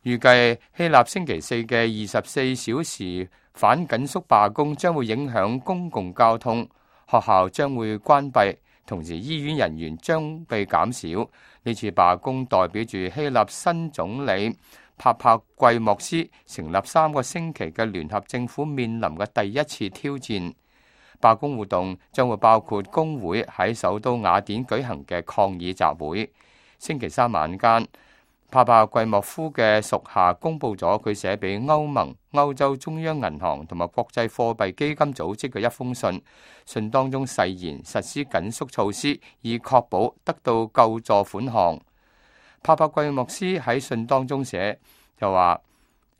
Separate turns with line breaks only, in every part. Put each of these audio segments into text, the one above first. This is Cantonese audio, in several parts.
預計希臘星期四嘅24小時反緊縮罷工將會影響公共交通，學校將會關閉，同時醫院人員將被減少。呢次罷工代表住希臘新總理帕帕季莫斯成立3個星期嘅聯合政府面臨嘅第一次挑戰。罷工活動將會包括工會喺首都雅典舉行嘅抗議集會。星期三晚間，帕帕季莫夫嘅屬下公佈咗佢寫俾歐盟、歐洲中央銀行同埋國際貨幣基金組織嘅一封信，信當中誓言實施緊縮措施，以確保得到救助款項。帕帕季莫斯喺信當中寫就話，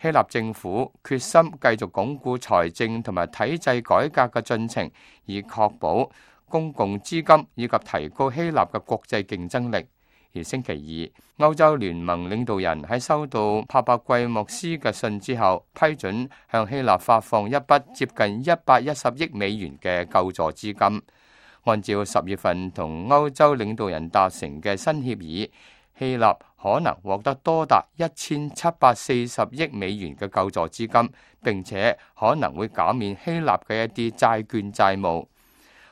希臘政府決心繼續鞏固財政同埋體制改革嘅進程，以確保公共資金以及提高希臘嘅國際競爭力。而星期二，歐洲聯盟領導人喺收到帕帕季莫斯嘅信之後，批准向希臘發放一筆接近110億美元嘅救助資金。按照10月份同歐洲領導人達成嘅新協議，希臘可能獲得多達1740億美元嘅救助資金，並且可能會減免希臘嘅一啲債券債務。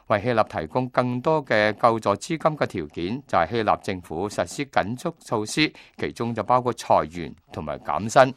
為希臘提供更多嘅救助資金嘅條件，就係希臘政府實施緊縮措施，其中就包括裁員同埋減薪。